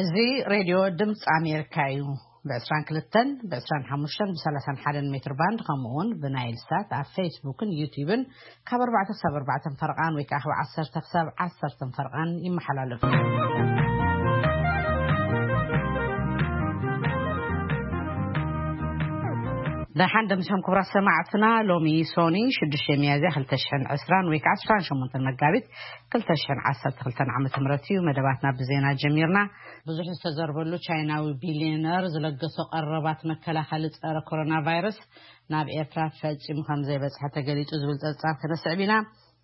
እዚ ሬድዮ ድምፂ ኣሜሪካ እዩ። ብ22፣ ብ25፣ ብ31 ሜትር ባንድ፣ ከምኡ እውን ብናይል ሳት ኣብ ፌስቡክን ዩቲዩብን ካብ ኣርባዕተ ክሳብ ኣርባዕተ ፈርቓን ወይ ከዓ ካብ ዓሰርተ ክሳብ ዓሰርተ ፈርቓን ይመሓላለፍ። ደሓን ደምሰም ክቡራት ሰማዕትና፣ ሎሚ ሶኒ ሽዱሽተ ሚያዝያ ክልተ ሽሕን ዕስራን ወይ ከዓ ዕስራን ሸሞንተን መጋቢት ክልተ ሽሕን ዓሰርተ ክልተን ዓመተ ምህረት እዩ። መደባትና ብዜና ጀሚርና። ብዙሕ ዝተዘርበሉ ቻይናዊ ቢልዮነር ዝለገሶ ቀረባት መከላኸሊ ጸረ ኮሮና ቫይረስ ናብ ኤርትራ ፈጺሙ ከም ዘይበጽሐ ተገሊጹ ዝብል ጸብጻብ ክነስዕብ ኢና።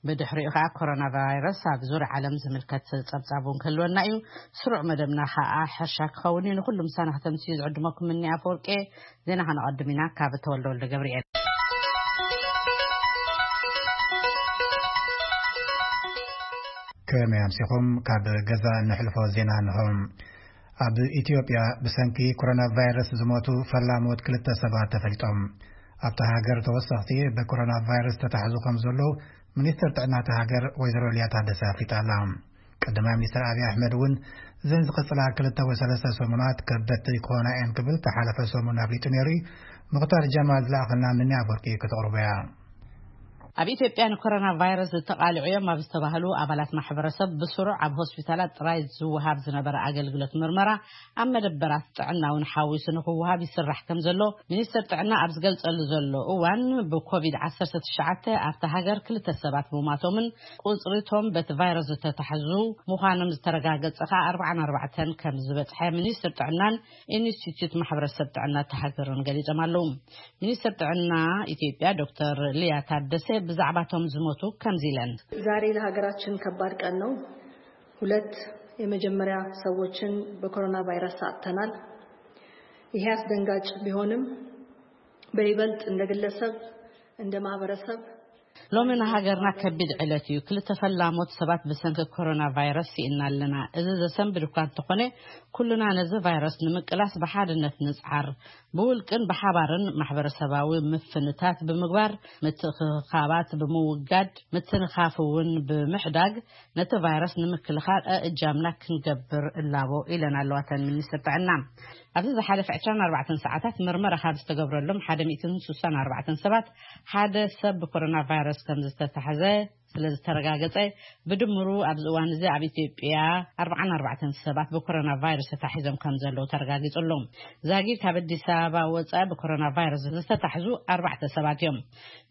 ብድሕሪኡ ከኣ ኮሮና ቫይረስ ኣብ ዙርያ ዓለም ዝምልከት ጸብጻብ እውን ክህልወና እዩ። ስሩዕ መደብና ከኣ ሕርሻ ክኸውን እዩ። ንኹሉ ምሳና ከተምስዩ ዝዕድመኩም እኒ ኣፈወርቄ። ዜና ከነቐድም ኢና። ካብ ተወልደ ወልደ ገብርኤል። ከመይ ኣምሲኹም? ካብ ገዛ እንሕልፎ ዜና እንሆ። ኣብ ኢትዮጵያ ብሰንኪ ኮሮና ቫይረስ ዝሞቱ ፈላሞት ክልተ ሰባት ተፈሊጦም። ኣብታ ሃገር ተወሰኽቲ ብኮሮና ቫይረስ ተታሕዙ ከም ዘለዉ ሚኒስትር ጥዕና እታ ሃገር ወይዘሮ ሊያ ታደሰ ኣፍሊጣ ኣላ። ቀዳማይ ሚኒስትር ኣብይ ኣሕመድ እውን እዘን ዝቐጽላ ክልተ ወይ ሰለስተ ሰሙናት ከበድቲ ክኾና እየን ክብል ተሓለፈ ሰሙን ኣፍሊጡ ነይሩ እዩ። ምኽታር ጀማል ዝለኣኸልና ምኒ ኣፈወርቂ ከተቕርቦ እያ። ኣብ ኢትዮጵያ ንኮሮና ቫይረስ ዝተቓልዑ እዮም ኣብ ዝተባህሉ ኣባላት ማሕበረሰብ ብስሩዕ ኣብ ሆስፒታላት ጥራይ ዝወሃብ ዝነበረ ኣገልግሎት ምርመራ ኣብ መደበራት ጥዕና እውን ሓዊሱ ንክወሃብ ይስራሕ ከም ዘሎ ሚኒስትር ጥዕና ኣብ ዝገልጸሉ ዘሎ እዋን፣ ብኮቪድ ዓሰርተ ትሽዓተ ኣብታ ሃገር ክልተ ሰባት ምሟቶምን ቁጽሪቶም በቲ ቫይረስ ዝተታሕዙ ምዃኖም ዝተረጋገጸ ከኣ ኣርባዓን ኣርባዕተን ከም ዝበጽሐ ሚኒስትር ጥዕናን ኢንስቲትዩት ማሕበረሰብ ጥዕና እታ ሃገርን ገሊጾም ኣለዉ። ሚኒስትር ጥዕና ኢትዮጵያ ዶክተር ሊያ ታደሰ ብዛዕባቶም ዝሞቱ ከምዚ ኢለን። ዛሬ ለሀገራችን ከባድ ቀን ነው። ሁለት የመጀመሪያ ሰዎችን በኮሮና ቫይረስ አጥተናል። ይሄ አስደንጋጭ ቢሆንም በይበልጥ እንደ ግለሰብ፣ እንደ ማህበረሰብ ሎሚ ንሃገርና ከቢድ ዕለት እዩ። ክልተ ፈላሞት ሰባት ብሰንኪ ኮሮና ቫይረስ ስኢና ኣለና። እዚ ዘሰንብድ እኳ እንተኾነ፣ ኩልና ነዚ ቫይረስ ንምቅላስ ብሓድነት ንጽዓር። ብውልቅን ብሓባርን ማሕበረሰባዊ ምፍንታት ብምግባር፣ ምትእኽኻባት ብምውጋድ፣ ምትንኻፍ እውን ብምሕዳግ፣ ነቲ ቫይረስ ንምክልኻል ኣእጃምና ክንገብር እላቦ ኢለን ኣለዋ እተን ሚኒስትር ጥዕና። ኣብዚ ዝሓለፈ ዕስራን ኣርባዕተን ሰዓታት መርመራ ካብ ዝተገብረሎም ሓደ ሚእትን ስሳን ኣርባዕተን ሰባት ሓደ ሰብ ብኮሮና ቫይረስ ከም ዝተታሕዘ ስለ ዝተረጋገጸ፣ ብድምሩ ኣብዚ እዋን እዚ ኣብ ኢትዮጵያ ኣርባዓን ኣርባዕተን ሰባት ብኮሮና ቫይረስ ተታሒዞም ከም ዘለዉ ተረጋጊጹ ኣሎ። ዛጊድ ካብ ኣዲስ ኣበባ ወጻኢ ብኮሮና ቫይረስ ዝተታሕዙ ኣርባዕተ ሰባት እዮም።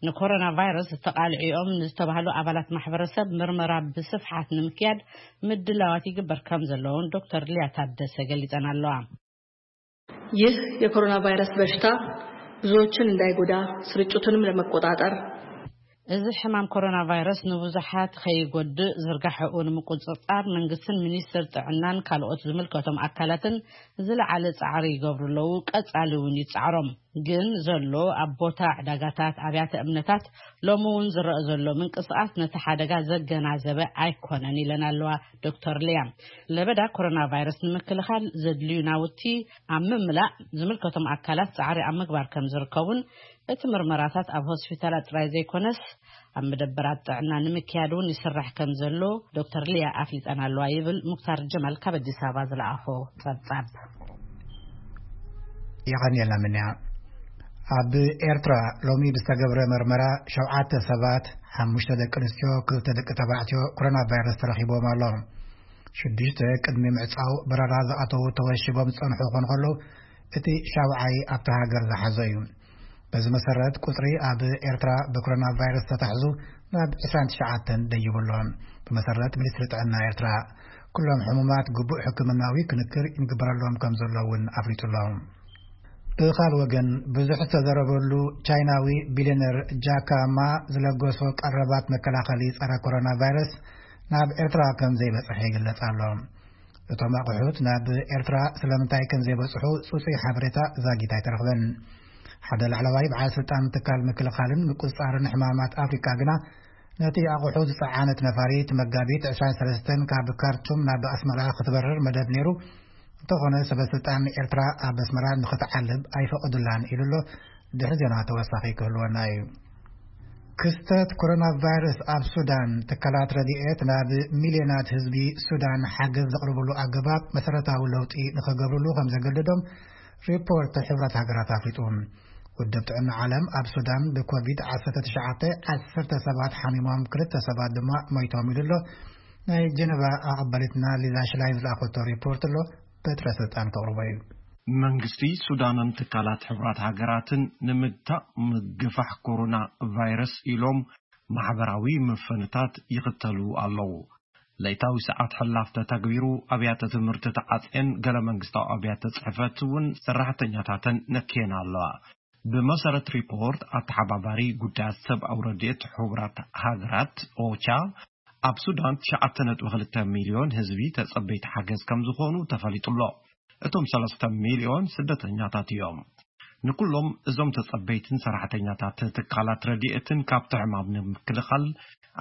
ንኮሮና ቫይረስ ዝተቓልዑ እዮም ንዝተባህሉ ኣባላት ማሕበረሰብ ምርመራ ብስፍሓት ንምክያድ ምድላዋት ይግበር ከም ዘለውን ዶክተር ሊያ ታደሰ ገሊጸን ኣለዋ። ይህ የኮሮና ቫይረስ በሽታ ብዙዎችን እንዳይጎዳ ስርጭቱንም ለመቆጣጠር እዚ ሕማም ኮሮና ቫይረስ ንብዙሓት ከይጎድእ ዝርጋሐኡ ንምቁጽጻር መንግስትን ሚኒስትር ጥዕናን ካልኦት ዝምልከቶም ኣካላትን ዝለዓለ ጻዕሪ ይገብሩ ኣለዉ። ቀጻሊ እውን ይጻዕሮም። ግን ዘሎ ኣብ ቦታ ዕዳጋታት፣ ኣብያተ እምነታት ሎሚ እውን ዝረአ ዘሎ ምንቅስቃስ ነቲ ሓደጋ ዘገናዘበ ኣይኮነን ኢለን ኣለዋ ዶክተር ሊያ። ለበዳ ኮሮና ቫይረስ ንምክልኻል ዘድልዩ ናውቲ ኣብ ምምላእ ዝምልከቶም ኣካላት ጻዕሪ ኣብ ምግባር ከም ዝርከቡን እቲ ምርመራታት ኣብ ሆስፒታላት ጥራይ ዘይኮነስ ኣብ መደበራት ጥዕና ንምክያድ እውን ይስራሕ ከም ዘሎ ዶክተር ሊያ ኣፍሊጠን ኣለዋ ይብል ሙክታር ጀማል ካብ ኣዲስ ኣበባ ዝለኣኾ ጸብጻብ። የቐንየልና ምንያ። ኣብ ኤርትራ ሎሚ ብዝተገብረ መርመራ ሸውዓተ ሰባት፣ ሓሙሽተ ደቂ ኣንስትዮ፣ ክልተ ደቂ ተባዕትዮ፣ ኮሮና ቫይረስ ተረኺቦም ኣሎ። ሽዱሽተ ቅድሚ ምዕጻው በረራ ዝኣተዉ ተወሺቦም ዝጸንሑ ክኾኑ ከለዉ፣ እቲ ሻውዓይ ኣብታ ሃገር ዝሓዞ እዩ። በዚ መሰረት ቁጽሪ ኣብ ኤርትራ ብኮሮና ቫይረስ ተታሕዙ ናብ ዕስራን ትሽዓተን ደይቡ ኣሎ። ብመሰረት ሚኒስትሪ ጥዕና ኤርትራ፣ ኩሎም ሕሙማት ግቡእ ሕክምናዊ ክንክር ይግበረሎም ከም ዘሎ እውን ኣፍሊጡ ኣሎ። ብኻል ወገን፣ ብዙሕ ዝተዘረበሉ ቻይናዊ ቢልዮነር ጃካ ማ ዝለገሶ ቀረባት መከላኸሊ ጸረ ኮሮና ቫይረስ ናብ ኤርትራ ከም ዘይበጽሐ ይግለጽ ኣሎ። እቶም ኣቑሑት ናብ ኤርትራ ስለምንታይ ከም ዘይበጽሑ ጽጹይ ሓበሬታ ዛጊት ኣይተረኽበን። ሓደ ላዕለዋይ በዓል ስልጣን ትካል ምክልኻልን ምቁጽጻርን ሕማማት ኣፍሪቃ ግና፣ ነቲ ኣቑሑ ዝጸዓነት ነፋሪት መጋቢት ዕስራን ሰለስተን ካብ ካርቱም ናብ ኣስመራ ክትበርር መደብ ነይሩ። እንተኾነ፣ ሰበ ስልጣን ኤርትራ ኣብ ኣስመራ ንኽትዓልብ ኣይፈቐዱላን ኢሉ ኣሎ። ድሕሪ ዜና ተወሳኺ ክህልወና እዩ። ክስተት ኮሮና ቫይረስ ኣብ ሱዳን፣ ትካላት ረድኤት ናብ ሚልዮናት ህዝቢ ሱዳን ሓገዝ ዘቕርብሉ ኣገባብ መሰረታዊ ለውጢ ንኸገብርሉ ከም ዘገደዶም ሪፖርት ሕብረት ሃገራት ኣፍሊጡ። ውድብ ጥዕና ዓለም ኣብ ሱዳን ብኮቪድ ዓሰርተ ትሽዓተ ዓሰርተ ሰባት ሓሚሞም፣ ክልተ ሰባት ድማ ሞይቶም ኢሉ ኣሎ። ናይ ጀነቫ ኣቐባሊትና ሊዛ ሽላይን ዝለኣኸቶ ሪፖርት ኣሎ። በትረ ስልጣን ከቕርቦ እዩ። መንግስቲ ሱዳንን ትካላት ሕብራት ሃገራትን ንምግታእ ምግፋሕ ኮሮና ቫይረስ ኢሎም ማሕበራዊ ምፍንታት ይኽተሉ ኣለዉ። ለይታዊ ሰዓት ሕላፍ ተተግቢሩ፣ ኣብያተ ትምህርቲ ተዓጽየን፣ ገለ መንግስታዊ ኣብያተ ጽሕፈት እውን ሰራሕተኛታተን ነክየን ኣለዋ። ብመሰረት ሪፖርት ኣተሓባባሪ ጉዳያት ሰብኣዊ ረድኤት ሕቡራት ሃገራት ኦቻ፣ ኣብ ሱዳን ትሽዓተ ነጥቢ ክልተ ሚልዮን ህዝቢ ተጸበይቲ ሓገዝ ከም ዝኾኑ ተፈሊጡ ኣሎ። እቶም ሰለስተ ሚልዮን ስደተኛታት እዮም። ንኩሎም እዞም ተጸበይትን ሰራሕተኛታት ትካላት ረድኤትን ካብቲ ሕማም ንምክልኻል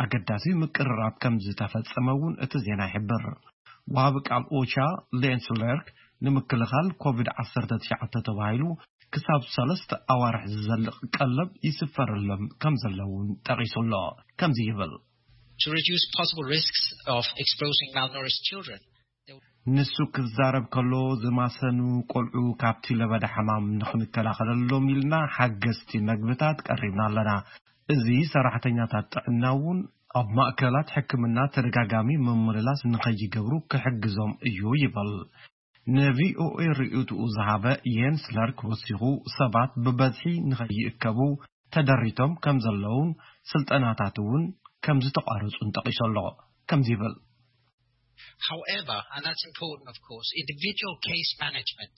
ኣገዳሲ ምቅርራብ ከም ዝተፈጸመ እውን እቲ ዜና ይሕብር። ወሃቢ ቃል ኦቻ ሌንስ ለርክ፣ ንምክልኻል ኮቪድ ዓሰርተ ትሽዓተ ተባሂሉ ክሳብ ሰለስተ ኣዋርሕ ዝዘልቕ ቀለብ ይስፈረሎም ከም ዘለውን ጠቒሱ ኣሎ። ከምዚ ይብል። To reduce possible risks of exposing malnourished children. ንሱ ክዛረብ ከሎ፣ ዝማሰኑ ቆልዑ ካብቲ ለበዳ ሕማም ንኽንከላኸለሎም ኢልና ሓገዝቲ መግብታት ቀሪብና ኣለና። እዚ ሰራሕተኛታት ጥዕና እውን ኣብ ማእከላት ሕክምና ተደጋጋሚ ምምልላስ ንኸይገብሩ ክሕግዞም እዩ ይብል። ንቪኦኤ ርእይትኡ ዝሃበ የንስ ለርክ ወሲኹ፣ ሰባት ብበዝሒ ንኸይእከቡ ተደሪቶም ከም ዘለውን ስልጠናታት እውን ከም ዝተቋረጹን ጠቒሱ ኣሎ። ከምዚ ይብል። However, and that's important, of course, individual case management.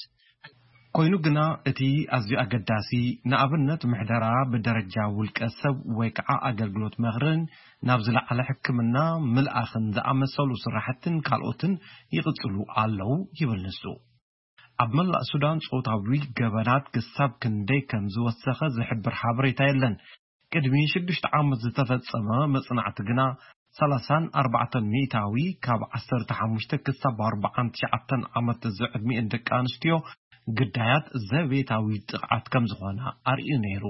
ኮይኑ ግና እቲ ኣዝዩ ኣገዳሲ፣ ንኣብነት ምሕደራ ብደረጃ ውልቀ ሰብ ወይ ከዓ ኣገልግሎት ምኽርን ናብ ዝለዓለ ሕክምና ምልኣኽን ዝኣመሰሉ ስራሕትን ካልኦትን ይቕጽሉ ኣለዉ ይብል ንሱ። ኣብ መላእ ሱዳን ጾታዊ ገበናት ክሳብ ክንደይ ከም ዝወሰኸ ዝሕብር ሓበሬታ የለን። ቅድሚ ሽዱሽተ ዓመት ዝተፈጸመ መጽናዕቲ ግና ሰላሳን ኣርባዕተን ሚእታዊ ካብ ዓሰርተ ሓሙሽተ ክሳብ ኣርባዓን ትሽዓተን ዓመት ዝዕድሚኤን ደቂ ኣንስትዮ ግዳያት ዘቤታዊ ጥቕዓት ከም ዝኾና ኣርእዩ ነይሩ።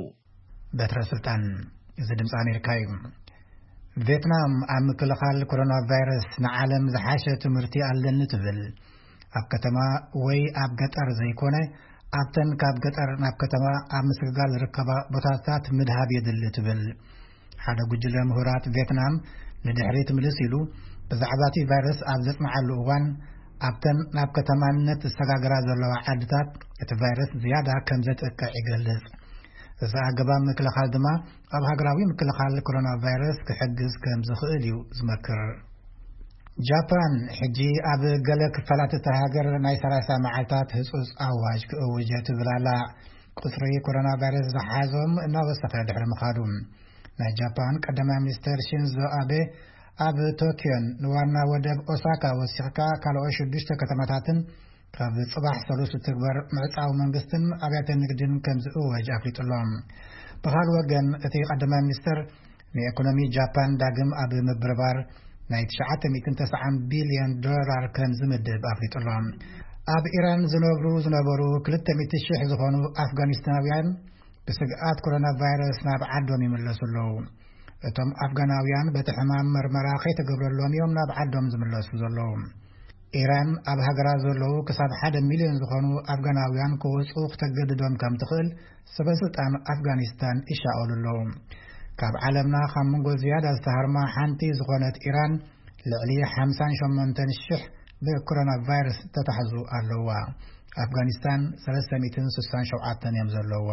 በትረ ስልጣን፣ እዚ ድምፂ ኣሜሪካ እዩ። ቬትናም ኣብ ምክልኻል ኮሮና ቫይረስ ንዓለም ዝሓሸ ትምህርቲ ኣለኒ ትብል። ኣብ ከተማ ወይ ኣብ ገጠር ዘይኮነ፣ ኣብተን ካብ ገጠር ናብ ከተማ ኣብ ምስግጋር ዝርከባ ቦታታት ምድሃብ የድሊ ትብል። ሓደ ጉጅለ ምሁራት ቬትናም ንድሕሪት ምልስ ኢሉ፣ ብዛዕባ እቲ ቫይረስ ኣብ ዘጽንዓሉ እዋን፣ ኣብተን ናብ ከተማነት ዝሰጋገራ ዘለዋ ዓድታት እቲ ቫይረስ ዝያዳ ከም ዘጥቅዕ ይገልጽ። እዚ ኣገባብ ምክልኻል ድማ ኣብ ሃገራዊ ምክልኻል ኮሮና ቫይረስ ክሕግዝ ከም ዝኽእል እዩ ዝመክር። ጃፓን ሕጂ ኣብ ገለ ክፋላት እታ ሃገር ናይ ሰላሳ መዓልታት ህጹጽ ኣዋጅ ክእውጅ ትብል ኣላ። ቁጽሪ ኮሮና ቫይረስ ዝሓዞም እናወሰኸ ድሕሪ ምኻዱ፣ ናይ ጃፓን ቀዳማይ ሚኒስተር ሺንዞ ኣቤ ኣብ ቶኪዮን ንዋና ወደብ ኦሳካ ወሲኽካ ካልኦት ሽዱሽተ ከተማታትን ካብ ጽባሕ ሰሉስ ዝትግበር ምዕጻው መንግስትን ኣብያተ ንግድን ከም ዝእወጅ ኣፍሊጡ ኣሎ። ብኻልእ ወገን፣ እቲ ቀዳማይ ሚኒስተር ንኢኮኖሚ ጃፓን ዳግም ኣብ ምብርባር ናይ ትሽዓተ ሚእትን ተስዓን ቢልዮን ዶላር ከም ዝምድብ ኣፍሊጡ ኣሎ። ኣብ ኢራን ዝነብሩ ዝነበሩ ክልተ ሚእቲ ሽሕ ዝኾኑ ኣፍጋኒስታናውያን ብስግኣት ኮሮና ቫይረስ ናብ ዓዶም ይምለሱ ኣለዉ። እቶም ኣፍጋናውያን በቲ ሕማም መርመራ ከይተገብረሎም እዮም ናብ ዓዶም ዝምለሱ ዘለዉ። ኢራን ኣብ ሃገራ ዘለዉ ክሳብ ሓደ ሚልዮን ዝኾኑ ኣፍጋናውያን ክወጹ ክተገድዶም ከም ትኽእል ሰበ ስልጣን ኣፍጋኒስታን ይሻቐሉ ኣለዉ። ካብ ዓለምና ካብ መንጎ ዝያዳ ዝተሃርማ ሓንቲ ዝኾነት ኢራን፣ ልዕሊ ሓምሳን ሸሞንተን ሽሕ ብኮሮና ቫይረስ ተታሕዙ ኣለዋ። ኣፍጋኒስታን ሰለስተ ሚእትን ስሳን ሸውዓተን እዮም ዘለዋ።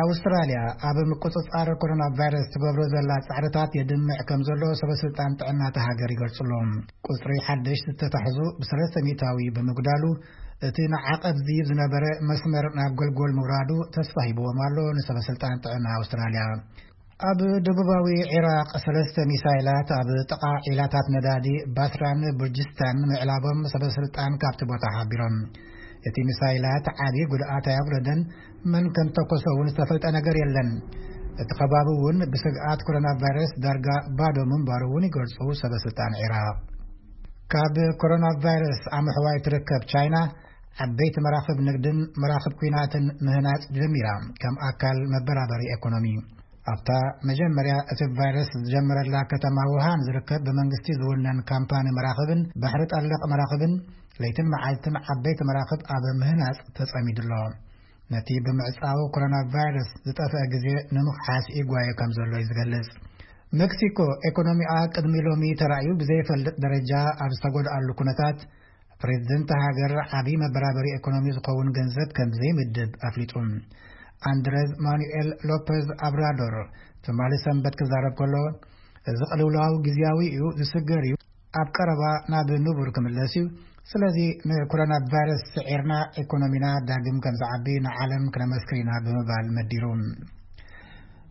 ኣውስትራልያ ኣብ ምቁጽጻር ኮሮና ቫይረስ ትገብሮ ዘላ ጻዕርታት የድምዕ ከም ዘሎ ሰበ ስልጣን ጥዕና እታ ሃገር ይገልጹ ኣለዉ። ቁጽሪ ሓደሽቲ ዝተታሕዙ ብሰለስተ ሚእታዊ ብምጉዳሉ፣ እቲ ንዓቐብ ዝይብ ዝነበረ መስመር ናብ ጎልጎል ምውራዱ ተስፋ ሂብዎም ኣሎ ንሰበ ስልጣን ጥዕና ኣውስትራልያ። ኣብ ደቡባዊ ዒራቕ ሰለስተ ሚሳይላት ኣብ ጥቓ ዒላታት ነዳዲ ባስራን ቡርጅስታን ምዕላቦም ሰበ ስልጣን ካብቲ ቦታ ሓቢሮም። እቲ ሚሳይላት ዓቢ ጉድኣት ኣየውረደን፣ መን ከም ተኮሶ እውን ዝተፈልጠ ነገር የለን። እቲ ከባቢ እውን ብስግኣት ኮሮና ቫይረስ ዳርጋ ባዶ ምንባሩ እውን ይገልጹ ሰበ ስልጣን ዒራቕ። ካብ ኮሮና ቫይረስ ኣምሕዋይ ትርከብ ቻይና፣ ዓበይቲ መራኽብ ንግድን መራኽብ ኲናትን ምህናጽ ጀሚራ፣ ከም ኣካል መበራበሪ ኤኮኖሚ። ኣብታ መጀመርያ እቲ ቫይረስ ዝጀመረላ ከተማ ውሃን ዝርከብ ብመንግስቲ ዝውነን ካምፓኒ መራኽብን ባሕሪ ጠለቕ መራኽብን ለይትን መዓልትን ዓበይቲ መራኽብ ኣብ ምህናጽ ተጸሚዱ ኣሎ። ነቲ ብምዕጻው ኮሮና ቫይረስ ዝጠፍአ ግዜ ንምኽሓስ ይጓየ ከም ዘሎ እዩ ዝገልጽ። ሜክሲኮ፣ ኤኮኖሚኣ ቅድሚ ሎሚ ተራእዩ ብዘይፈልጥ ደረጃ ኣብ ዝተጎድኣሉ ኩነታት፣ ፕሬዝደንት ሃገር ዓብዪ መበራበሪ ኤኮኖሚ ዝኸውን ገንዘብ ከም ዘይምድብ ኣፍሊጡ። ኣንድረዝ ማኑኤል ሎፐዝ ኣብራዶር ትማሊ ሰንበት ክዛረብ ከሎ፣ እዚ ቅልውላው ግዝያዊ እዩ፣ ዝስገር እዩ፣ ኣብ ቀረባ ናብ ንቡር ክምለስ እዩ። ስለዚ ንኮሮና ቫይረስ ስዒርና ኤኮኖሚና ዳግም ከም ዝዓቢ ንዓለም ክነመስክር ኢና ብምባል መዲሩ።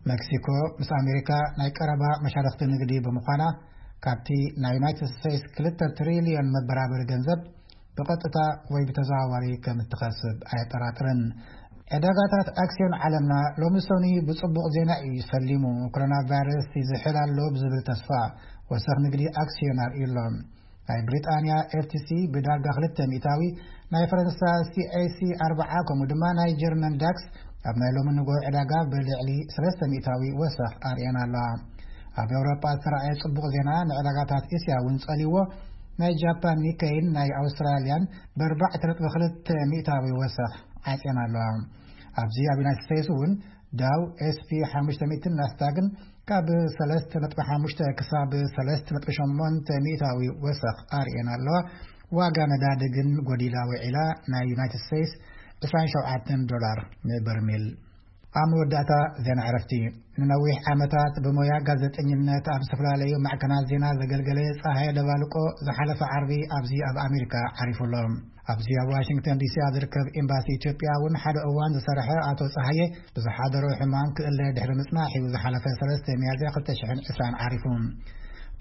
ሜክሲኮ ምስ ኣሜሪካ ናይ ቀረባ መሻርክቲ ንግዲ ብምዃና፣ ካብቲ ናይ ዩናይትድ ስቴትስ ክልተ ትሪልዮን መበራበሪ ገንዘብ ብቐጥታ ወይ ብተዘዋዋሪ ከም እትኸስብ ኣየጠራጥርን። ዕዳጋታት ኣክሲዮን ዓለምና ሎሚ ሰኑይ ብጽቡቕ ዜና እዩ ሰሊሙ። ኮሮና ቫይረስ ይዝሕል ኣሎ ብዝብል ተስፋ ወሰኽ ንግዲ ኣክሲዮን ኣርእዩ ኣሎ። ናይ ብሪጣንያ ኤፍቲሲ ብዳርጋ ክልተ ሚእታዊ፣ ናይ ፈረንሳ ሲኤሲ ኣርብዓ፣ ከምኡ ድማ ናይ ጀርመን ዳክስ ኣብ ናይ ሎሚ ንግሆ ዕዳጋ ብልዕሊ ሰለስተ ሚእታዊ ወሰኽ ኣርእየን ኣለዋ። ኣብ ኤውሮጳ ዝተረኣየ ጽቡቕ ዜና ንዕዳጋታት እስያ እውን ጸልይዎ፣ ናይ ጃፓን ኒከይን ናይ ኣውስትራልያን ብኣርባዕተ ነጥቢ ክልተ ሚእታዊ ወሰኽ ዓጽየን ኣለዋ። ኣብዚ ኣብ ዩናይትድ ስቴትስ እውን ዳው ኤስፒ ሓሙሽተ ሚእትን ናስዳግን ካብ ሰለስተ ነጥቢ ሓሙሽተ ክሳብ ሰለስተ ነጥቢ ሸሞንተ ሚእታዊ ወሰኽ ኣርእየን ኣለዋ። ዋጋ ነዳዲ ግን ጎዲላ ውዒላ፣ ናይ ዩናይትድ ስቴትስ ዕስራን ሸውዓተን ዶላር ንበርሜል። ኣብ መወዳእታ ዜና ዕረፍቲ። ንነዊሕ ዓመታት ብሞያ ጋዜጠኝነት ኣብ ዝተፈላለዩ ማዕከናት ዜና ዘገልገለ ጸሃየ ደባልቆ ዝሓለፈ ዓርቢ ኣብዚ ኣብ ኣሜሪካ ዓሪፉ ኣሎ። ኣብዚ ኣብ ዋሽንግተን ዲሲ ኣብ ዝርከብ ኤምባሲ ኢትዮጵያ እውን ሓደ እዋን ዝሰርሐ ኣቶ ጸሃየ ብዝሓደሮ ሕማም ክእለ ድሕሪ ምጽናሕ እዩ ዝሓለፈ ሰለስተ ሚያዝያ ክልተ ሽሕን ዕስራን ዓሪፉ።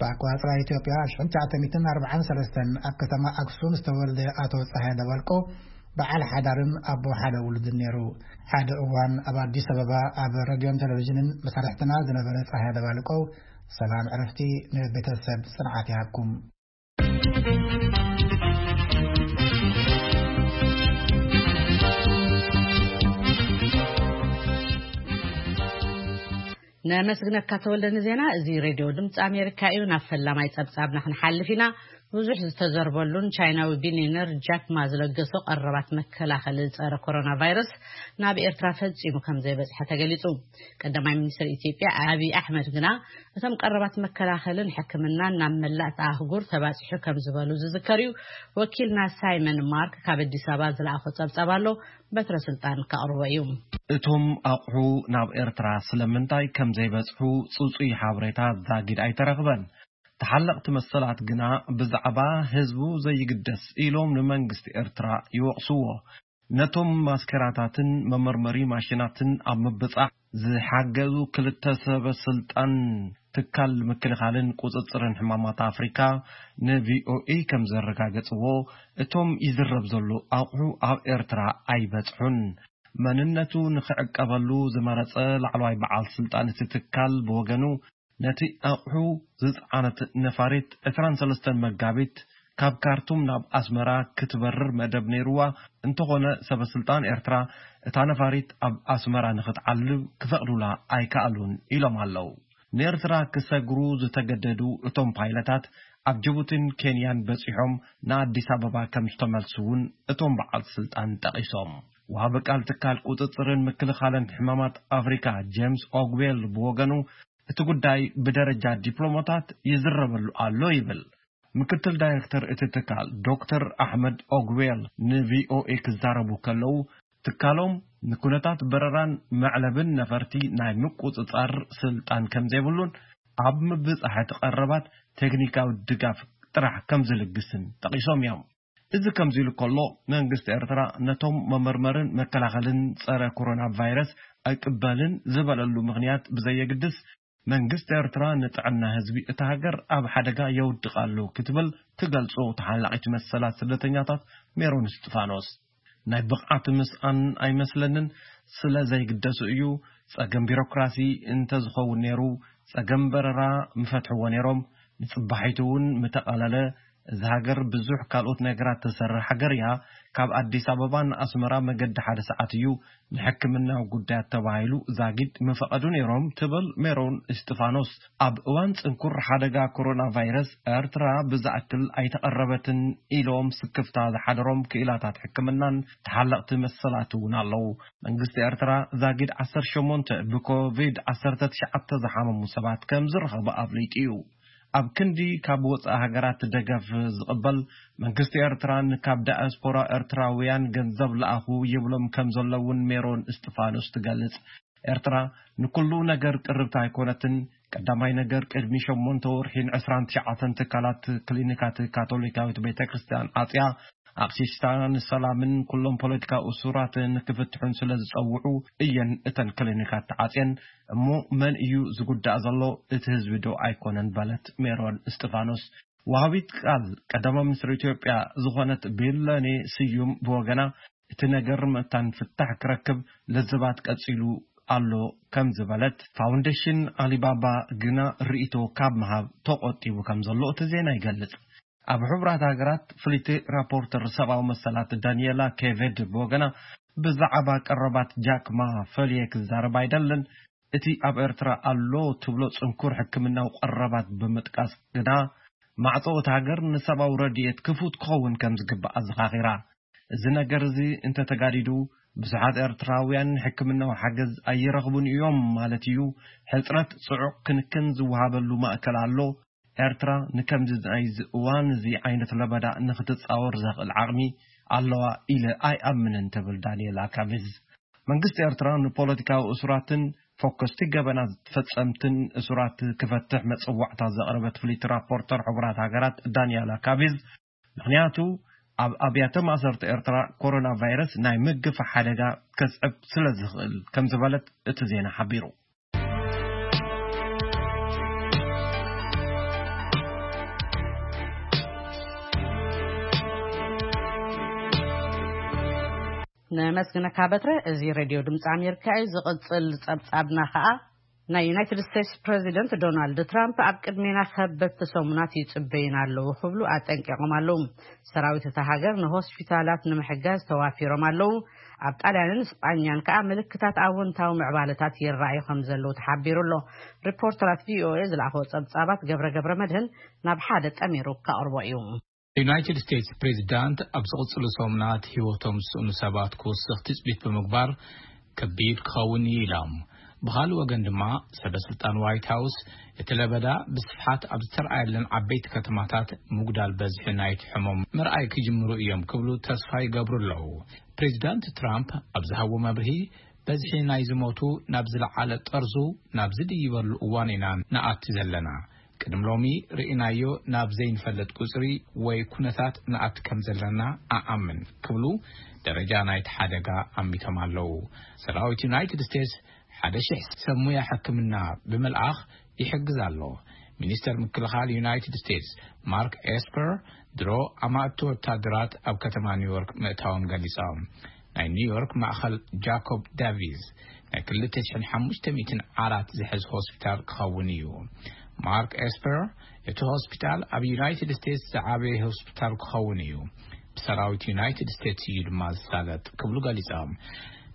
ብኣቆጻጽራ ኢትዮጵያ ኣብ ሽሕን ትሽዓተ ሚእትን ኣርባዓን ሰለስተን ኣብ ከተማ ኣክሱም ዝተወልደ ኣቶ ጸሃየ ደባልቆ በዓል ሓዳርን ኣቦ ሓደ ውሉድን ነይሩ። ሓደ እዋን ኣብ ኣዲስ ኣበባ ኣብ ረድዮን ቴሌቪዥንን መሳርሕትና ዝነበረ ጸሃየ ደባልቆ፣ ሰላም ዕረፍቲ ንቤተሰብ ጽንዓት ይሃብኩም። ነመስግነካ ተወልደ ንዜና። እዚ ሬድዮ ድምፂ ኣሜሪካ እዩ። ናብ ፈላማይ ጸብጻብና ክንሓልፍ ኢና። ብዙሕ ዝተዘርበሉን ቻይናዊ ቢልዮነር ጃክ ማ ዝለገሶ ቀረባት መከላኸሊ ጸረ ኮሮና ቫይረስ ናብ ኤርትራ ፈጺሙ ከም ዘይበጽሐ ተገሊጹ። ቀዳማይ ሚኒስትር ኢትዮጵያ ኣብይ ኣሕመድ ግና እቶም ቀረባት መከላኸልን ሕክምናን ናብ መላእ ኣህጉር ተባጺሑ ከም ዝበሉ ዝዝከር እዩ። ወኪልና ሳይመን ማርክ ካብ ኣዲስ ኣበባ ዝለኣኾ ጸብጻብ ኣሎ። በትረ ስልጣን ከቕርቦ እዩ። እቶም ኣቑሑ ናብ ኤርትራ ስለምንታይ ከም ዘይበጽሑ ጽጹይ ሓበሬታ ዛጊድ ኣይተረኽበን። ተሓለቕቲ መሰላት ግና ብዛዕባ ህዝቡ ዘይግደስ ኢሎም ንመንግስቲ ኤርትራ ይወቕስዎ። ነቶም ማስከራታትን መመርመሪ ማሽናትን ኣብ ምብጻሕ ዝሓገዙ ክልተ ሰበ ስልጣን ትካል ምክልኻልን ቁጽጽርን ሕማማት ኣፍሪካ ንቪኦኤ ከም ዘረጋገጽዎ፣ እቶም ይዝረብ ዘሎ ኣቑሑ ኣብ ኤርትራ ኣይበጽሑን። መንነቱ ንኽዕቀበሉ ዝመረጸ ላዕለዋይ በዓል ስልጣን እቲ ትካል ብወገኑ፣ ነቲ ኣቑሑ ዝጸዓነት ነፋሪት ዕስራን ሰለስተን መጋቢት ካብ ካርቱም ናብ ኣስመራ ክትበርር መደብ ነይርዋ፣ እንተኾነ ሰበ ስልጣን ኤርትራ እታ ነፋሪት ኣብ ኣስመራ ንኽትዓልብ ክፈቕዱላ ኣይከኣሉን ኢሎም ኣለዉ። ንኤርትራ ክሰግሩ ዝተገደዱ እቶም ፓይለታት ኣብ ጅቡቲን ኬንያን በጺሖም ንኣዲስ ኣበባ ከም ዝተመልሱ እውን እቶም በዓል ስልጣን ጠቒሶም። ወሃቢ ቃል ትካል ቁጽጽርን ምክልኻልን ሕማማት ኣፍሪካ ጄምስ ኦግዌል ብወገኑ፣ እቲ ጉዳይ ብደረጃ ዲፕሎማታት ይዝረበሉ ኣሎ ይብል። ምክትል ዳይሬክተር እቲ ትካል ዶክተር ኣሕመድ ኦግዌል ንቪኦኤ ክዛረቡ ከለዉ፣ ትካሎም ንኩነታት በረራን መዕለብን ነፈርቲ ናይ ምቁጽጻር ስልጣን ከም ዘይብሉን ኣብ ምብጻሕ እቲ ቀረባት ቴክኒካዊ ድጋፍ ጥራሕ ከም ዝልግስን ጠቒሶም እዮም። እዚ ከምዚ ኢሉ ከሎ፣ መንግስቲ ኤርትራ ነቶም መመርመርን መከላኸልን ጸረ ኮሮና ቫይረስ ኣይቅበልን ዝበለሉ ምኽንያት ብዘየግድስ፣ መንግስቲ ኤርትራ ንጥዕና ህዝቢ እታ ሃገር ኣብ ሓደጋ የውድቕ ኣሎ ክትብል ትገልጾ ተሓላቒት መሰላት ስደተኛታት ሜሮን እስጢፋኖስ፣ ናይ ብቕዓት ምስኣን ኣይመስለንን፣ ስለ ዘይግደሱ እዩ። ጸገም ቢሮክራሲ እንተዝኸውን ነይሩ፣ ጸገም በረራ ምፈትሕዎ ነይሮም። ንጽባሒቱ እውን ምተቓለለ። እዛ ሃገር ብዙሕ ካልኦት ነገራት ትሰርሕ ሃገር እያ። ካብ ኣዲስ ኣበባ ንኣስመራ መገዲ ሓደ ሰዓት እዩ። ንሕክምናዊ ጉዳያት ተባሂሉ ዛጊድ ምፈቐዱ ነይሮም ትብል ሜሮን እስጢፋኖስ። ኣብ እዋን ጽንኩር ሓደጋ ኮሮና ቫይረስ ኤርትራ ብዝኣክል ኣይተቐረበትን ኢሎም ስክፍታ ዝሓደሮም ክኢላታት ሕክምናን ተሓለቕቲ መሰላት እውን ኣለዉ። መንግስቲ ኤርትራ ዛጊድ ዓሰርተ ሸሞንተ ብኮቪድ ዓሰርተ ትሽዓተ ዝሓመሙ ሰባት ከም ዝረኸበ ኣፍሊጡ እዩ። ኣብ ክንዲ ካብ ወጻኢ ሃገራት ደገፍ ዝቕበል መንግስቲ ኤርትራን ካብ ዳያስፖራ ኤርትራውያን ገንዘብ ለኣኹ ይብሎም ከም ዘለውን ሜሮን እስጢፋኖስ ትገልጽ። ኤርትራ ንኩሉ ነገር ቅርብቲ ኣይኮነትን። ቀዳማይ ነገር ቅድሚ ሸሞንተ ወርሒን ዕስራን ትሽዓተን ትካላት ክሊኒካት ካቶሊካዊት ቤተ ክርስቲያን ዓጽያ ኣቕሽሽታ ንሰላምን ኩሎም ፖለቲካ እሱራት ንክፍትሑን ስለ ዝጸውዑ እየን እተን ክሊኒካት ተዓጽየን። እሞ መን እዩ ዝጉዳእ ዘሎ? እቲ ህዝቢ ዶ ኣይኮነን? በለት ሜሮን እስጢፋኖስ። ወሃቢት ቃል ቀዳማይ ሚኒስትር ኢትዮጵያ ዝኾነት ቢለኔ ስዩም ብወገና እቲ ነገር መታን ፍታሕ ክረክብ ለዘባት ቀጺሉ ኣሎ ከም ዝበለት፣ ፋውንዴሽን ኣሊባባ ግና ርእይቶ ካብ ምሃብ ተቖጢቡ ከም ዘሎ እቲ ዜና ይገልጽ። ኣብ ሕቡራት ሃገራት ፍልይቲ ራፖርተር ሰብኣዊ መሰላት ዳንኤላ ኬቬድ ብወገና ብዛዕባ ቀረባት ጃክ ማ ፈልየ ክዛረብ ኣይደልን። እቲ ኣብ ኤርትራ ኣሎ ትብሎ ጽንኩር ሕክምናዊ ቀረባት ብምጥቃስ ግና ማዕጾ እቲ ሃገር ንሰብኣዊ ረድኤት ክፉት ክኸውን ከም ዝግባእ ኣዘኻኺራ። እዚ ነገር እዚ እንተተጋዲዱ ብዙሓት ኤርትራውያን ሕክምናዊ ሓገዝ ኣይረኽቡን እዮም ማለት እዩ። ሕጽረት ጽዑቕ ክንክን ዝወሃበሉ ማእከል ኣሎ። ኤርትራ ንከምዚ ናይዚ እዋን እዚ ዓይነት ለበዳ ንክትጻወር ዘኽእል ዓቕሚ ኣለዋ ኢለ ኣይኣምንን ትብል ዳንኤላ ካሚዝ። መንግስቲ ኤርትራ ንፖለቲካዊ እሱራትን ፈኮስቲ ገበናት ፈጸምትን እሱራት ክፈትሕ መጸዋዕታ ዘቕረበት ፍልይቲ ራፖርተር ሕቡራት ሃገራት ዳንያላ ካቢዝ፣ ምኽንያቱ ኣብ ኣብያተ ማእሰርቲ ኤርትራ ኮሮና ቫይረስ ናይ ምግፋሕ ሓደጋ ከስዕብ ስለ ዝኽእል ከም ዝበለት እቲ ዜና ሓቢሩ። ነመስግነካ በትረ። እዚ ሬድዮ ድምፂ ኣሜሪካ እዩ። ዝቕፅል ፀብፃብና ከዓ ናይ ዩናይትድ ስቴትስ ፕሬዚደንት ዶናልድ ትራምፕ ኣብ ቅድሜና ከበድቲ ሰሙናት ይፅበዩና ኣለዉ ክብሉ ኣጠንቂቖም ኣለዉ። ሰራዊት እታ ሃገር ንሆስፒታላት ንምሕጋዝ ተዋፊሮም ኣለዉ። ኣብ ጣልያንን ስጳኛን ከዓ ምልክታት ኣወንታዊ ምዕባለታት ይረኣዩ ከም ዘለዉ ተሓቢሩ ኣሎ። ሪፖርተራት ቪኦኤ ዝለኣኸዎ ፀብፃባት ገብረ ገብረ መድህን ናብ ሓደ ጠሚሩ ከቕርቦ እዩ። ዩናይትድ ስቴትስ ፕሬዚዳንት ኣብ ዝቕፅሉ ሰሙናት ህይወቶም ዝስእኑ ሰባት ክውስኽ ትፅቢት ብምግባር ከቢድ ክኸውን እዩ ኢሎም። ብኻልእ ወገን ድማ ሰበ ስልጣን ዋይት ሃውስ እቲ ለበዳ ብስፍሓት ኣብ ዝተረኣየለን ዓበይቲ ከተማታት ምጉዳል በዝሒ ናይቲ ሕሞም ምርኣይ ክጅምሩ እዮም ክብሉ ተስፋ ይገብሩ ኣለዉ። ፕሬዚዳንት ትራምፕ ኣብ ዝሃቦ መብርሂ በዝሒ ናይ ዝሞቱ ናብ ዝለዓለ ጠርዙ ናብ ዝድይበሉ እዋን ኢና ንኣቲ ዘለና። ቅድሚ ሎሚ ርኢናዮ ናብ ዘይንፈልጥ ቁፅሪ ወይ ኩነታት ንኣቲ ከም ዘለና ኣኣምን ክብሉ ደረጃ ናይቲ ሓደጋ ኣሚቶም ኣለዉ። ሰራዊት ዩናይትድ ስቴትስ ሓደ ሽሕ ሰብ ሙያ ሕክምና ብምልኣኽ ይሕግዝ ኣሎ። ሚኒስተር ምክልኻል ዩናይትድ ስቴትስ ማርክ ኤስፐር ድሮ ኣማእቲ ወታደራት ኣብ ከተማ ኒውዮርክ ምእታዎም ገሊጾም። ናይ ኒውዮርክ ማእኸል ጃኮብ ዳቪስ ናይ ክልተ ሽሕን ሓሙሽተ ሚእትን ዓራት ዝሕዝ ሆስፒታል ክኸውን እዩ። ማርክ ኤስፐር እቲ ሆስፒታል ኣብ ዩናይትድ ስቴትስ ዝዓበየ ሆስፒታል ክኸውን እዩ። ብሰራዊት ዩናይትድ ስቴትስ እዩ ድማ ዝሳለጥ ክብሉ ገሊጾም።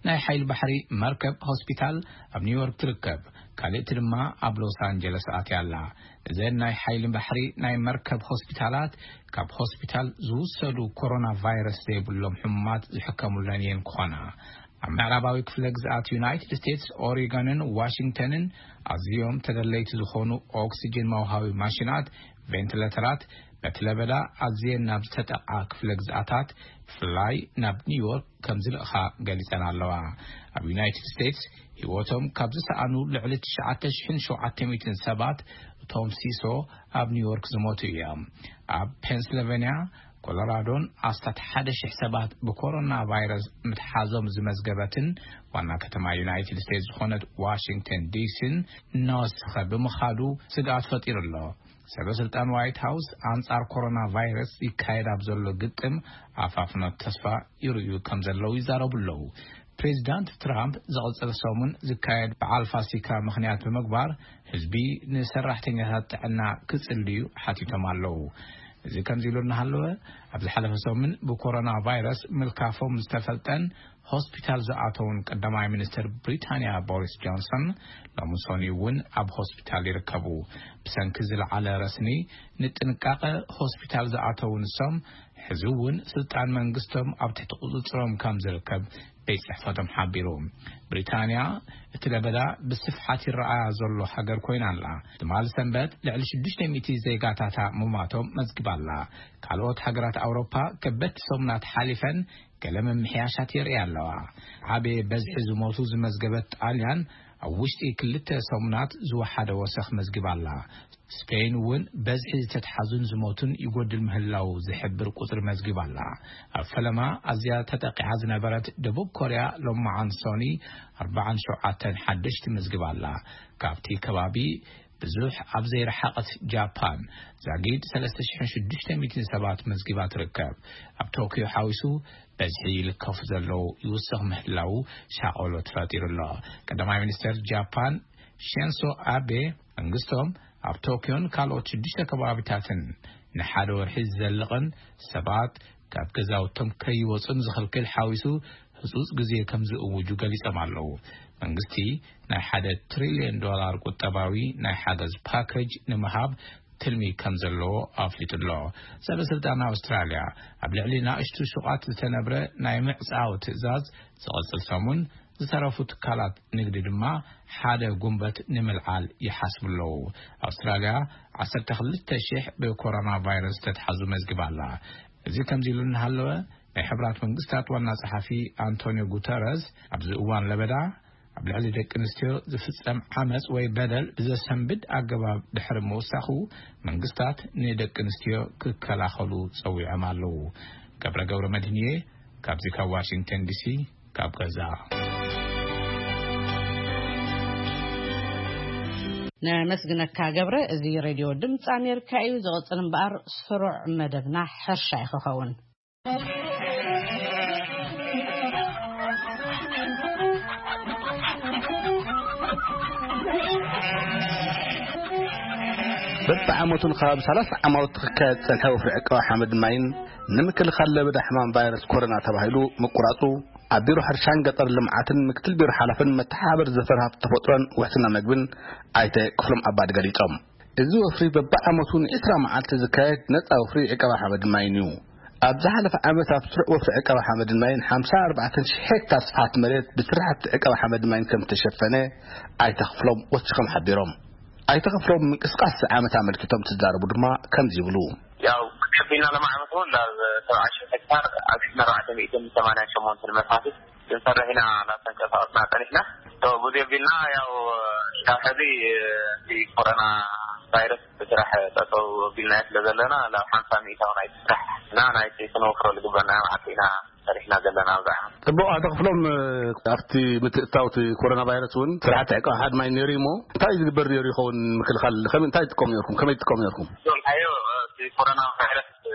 ናይ ሓይሊ ባሕሪ መርከብ ሆስፒታል ኣብ ኒውዮርክ ትርከብ። ካልእቲ ድማ ኣብ ሎስ ኣንጀለስ ኣትያ ኣላ። እዘን ናይ ሓይሊ ባሕሪ ናይ መርከብ ሆስፒታላት ካብ ሆስፒታል ዝውሰዱ ኮሮና ቫይረስ ዘይብሎም ሕሙማት ዝሕከሙለን እየን ክኾና። ኣብ ምዕራባዊ ክፍለ ግዝኣት ዩናይትድ ስቴትስ ኦሪገንን ዋሽንግተንን ኣዝዮም ተደለይቲ ዝኾኑ ኦክሲጅን መውሃቢ ማሽናት ቬንትሌተራት በቲ ለበዳ ኣዝየን ናብ ዝተጠቕዓ ክፍለ ግዝኣታት ብፍላይ ናብ ኒውዮርክ ከም ዝልእኻ ገሊጸን ኣለዋ። ኣብ ዩናይትድ ስቴትስ ህይወቶም ካብ ዝሰኣኑ ልዕሊ ትሽዓተ ሽሕን ሸውዓተ ሚእትን ሰባት እቶም ሲሶ ኣብ ኒውዮርክ ዝሞቱ እዮም። ኣብ ፔንስልቨንያ ኮሎራዶን ኣስታት ሓደ ሽሕ ሰባት ብኮሮና ቫይረስ ምትሓዞም ዝመዝገበትን ዋና ከተማ ዩናይትድ ስቴትስ ዝኾነት ዋሽንግተን ዲሲን እናወሰኸ ብምኻዱ ስግኣት ፈጢሩ ኣሎ። ሰበ ስልጣን ዋይት ሃውስ ኣንጻር ኮሮና ቫይረስ ይካየድ ኣብ ዘሎ ግጥም ኣፋፍኖት ተስፋ ይርእዩ ከም ዘለዉ ይዛረቡ ኣለዉ። ፕሬዚዳንት ትራምፕ ዝቕጽል ሰሙን ዝካየድ በዓል ፋሲካ ምኽንያት ብምግባር ህዝቢ ንሰራሕተኛታት ጥዕና ክጽልዩ ሓቲቶም ኣለዉ። እዚ ከምዚ ኢሉ እናሃለወ፣ ኣብ ዝሓለፈ ሰሙን ብኮሮና ቫይረስ ምልካፎም ዝተፈልጠን ሆስፒታል ዝኣተውን ቀዳማይ ሚኒስትር ብሪታንያ ቦሪስ ጆንሰን፣ ሎሚ ሰኑይ እውን ኣብ ሆስፒታል ይርከቡ። ብሰንኪ ዝለዓለ ረስኒ ንጥንቃቐ ሆስፒታል ዝኣተው ንሶም፣ ሕዚ እውን ስልጣን መንግስቶም ኣብ ትሕቲ ቁፅፅሮም ከም ዝርከብ ቤት ጽሕፈቶም ሓቢሩ። ብሪታንያ እቲ ለበዳ ብስፍሓት ይረኣያ ዘሎ ሃገር ኮይና ኣላ። ትማሊ ሰንበት ልዕሊ ሽዱሽተ ሚእቲ ዜጋታታ ምማቶም መዝግባ ኣላ። ካልኦት ሃገራት ኣውሮፓ ከበድቲ ሰሙናት ሓሊፈን ገለ ምምሕያሻት የርእያ ኣለዋ። ዓቢ በዝሒ ዝሞቱ ዝመዝገበት ጣልያን፣ ኣብ ውሽጢ ክልተ ሰሙናት ዝወሓደ ወሰኽ መዝግባ ኣላ። ስፔን እውን በዝሒ ዝተትሓዙን ዝሞቱን ይጎድል ምህላው ዝሕብር ቁጽሪ መዝግባ ኣላ። ኣብ ፈለማ ኣዝያ ተጠቂዓ ዝነበረት ደቡብ ኮርያ፣ ሎማዓን ሶኒ ኣርባዓን ሸውዓተን ሓደሽቲ መዝግባ ኣላ። ካብቲ ከባቢ ብዙሕ ኣብ ዘይረሓቐት ጃፓን፣ ዛጊድ ሰለስተ ሽሕን ሽዱሽተ ሚእትን ሰባት መዝጊባ ትርከብ። ኣብ ቶክዮ ሓዊሱ በዝሒ ይልከፉ ዘለዉ ይውስኽ ምህላዉ ሻቐሎት ፈጢሩ ኣሎ። ቀዳማይ ሚኒስተር ጃፓን ሺንሶ ኣቤ፣ መንግስቶም ኣብ ቶክዮን ካልኦት ሽዱሽተ ከባቢታትን ንሓደ ወርሒ ዝዘልቕን ሰባት ካብ ገዛውቶም ከይወጹን ዝኽልክል ሓዊሱ ህጹጽ ግዜ ከም ዝእውጁ ገሊጾም ኣለዉ። መንግስቲ ናይ ሓደ ትሪልዮን ዶላር ቁጠባዊ ናይ ሓገዝ ፓኬጅ ንምሃብ ትልሚ ከም ዘለዎ ኣፍሊጡ ኣሎ። ሰበስልጣን ኣውስትራልያ ኣብ ልዕሊ ናእሽቱ ሹቓት ዝተነብረ ናይ ምዕጻው ትእዛዝ ዝቐጽል ሰሙን፣ ዝተረፉ ትካላት ንግዲ ድማ ሓደ ጉንበት ንምልዓል ይሓስቡ ኣለዉ። ኣውስትራልያ ዓሰርተ ክልተ ሽሕ ብኮሮና ቫይረስ ተትሓዙ መዝግባ ኣላ። እዚ ከምዚ ኢሉ እናሃለወ፣ ናይ ሕብራት መንግስታት ዋና ጸሓፊ ኣንቶኒዮ ጉተረዝ፣ ኣብዚ እዋን ለበዳ ኣብ ልዕሊ ደቂ ኣንስትዮ ዝፍጸም ዓመጽ ወይ በደል ብዘሰንብድ ኣገባብ ድሕሪ ምውሳኹ፣ መንግስታት ንደቂ ኣንስትዮ ክከላኸሉ ጸዊዖም ኣለዉ። ገብረ ገብረ መድህንየ ካብዚ ካብ ዋሽንግተን ዲሲ ካብ ገዛ። ነመስግነካ ገብረ። እዚ ሬድዮ ድምፂ ኣሜሪካ እዩ። ዝቕፅል እምበኣር ስሩዕ መደብና ሕርሻ እዩ ክኸውን። በብዓመቱ ንከባቢ ሰላሳ ዓማውቲ ክካየድ ዝጸንሐ ወፍሪ ዕቀባ ሓመድ ማይን ንምክልኻል ለበዳ ሕማም ቫይረስ ኮሮና ተባሂሉ ምቁራጹ፣ ኣብ ቢሮ ሕርሻን ገጠር ልምዓትን ምክትል ቢሮ ሓላፍን መተሓባበሪ ዘፈር ሃብቲ ተፈጥሮን ውሕስና መግብን ኣይተ ክፍሎም ኣባዲ ገሊጾም። እዚ ወፍሪ በብዓመቱ ንዒስራ መዓልቲ ዝካየድ ነጻ ወፍሪ ዕቀባ ሓመድን ማይን እዩ። ኣብ ዝሓለፈ ዓመት ኣብ ስሩዕ ወፍሪ ዕቀባ ሓመድን ማይን ሓምሳ ኣርባዕተን ሽሕ ሄክታር ስፍሓት መሬት ብስራሕቲ ዕቀባ ሓመድን ማይን ከም ዝተሸፈነ ኣይተ ክፍሎም ወሲኾም ሓቢሮም። ኣይተ ክፍሎም ምንቅስቃስ እዚ ዓመት ኣመልኪቶም ትዛረቡ ድማ ከምዚ ይብሉ። ያው ከቢልና ለማዕመት እውን ናብ ሰብዓ ሽሕ ሄክታር ኣብ ሽሕን ኣርባዕተ ሚእትን ሰማንያን ሸሞንተን መፋስስ ክንሰርሕ ኢና እናተንቀሳቐስና ጸኒሕና። ሶ፣ ብዙ የቢልና፣ ያው ካብ ሕዚ እቲ ኮሮና ቫይረስ ብስራሕ ጠጠው ኣቢልናዮ ስለ ዘለና፣ ናብ ሓምሳ ሚእታዊ ናይቲ ስራሕ እና ናይቲ ክንወፍረሉ ዝግበና መዓልቲ ኢና ሰሪሕና ዘለና ኣብዚ ዓመት። ጽቡቕ፣ ኣቶ ክፍሎም፣ ኣብቲ ምትእትታው እቲ ኮሮና ቫይረስ እውን ስራሕቲ ዕቃ ሓድ ማይ ነይሩ እዩ እሞ፣ እንታይ እዩ ዝግበር ነይሩ ይኸውን? ምክልኻል ከመይ፣ እንታይ ትጥቀሙ ነይርኩም? ከመይ ትጥቀሙ ነይርኩም? ዝብልካዮ፣ እቲ ኮሮና ቫይረስ፣ እ፣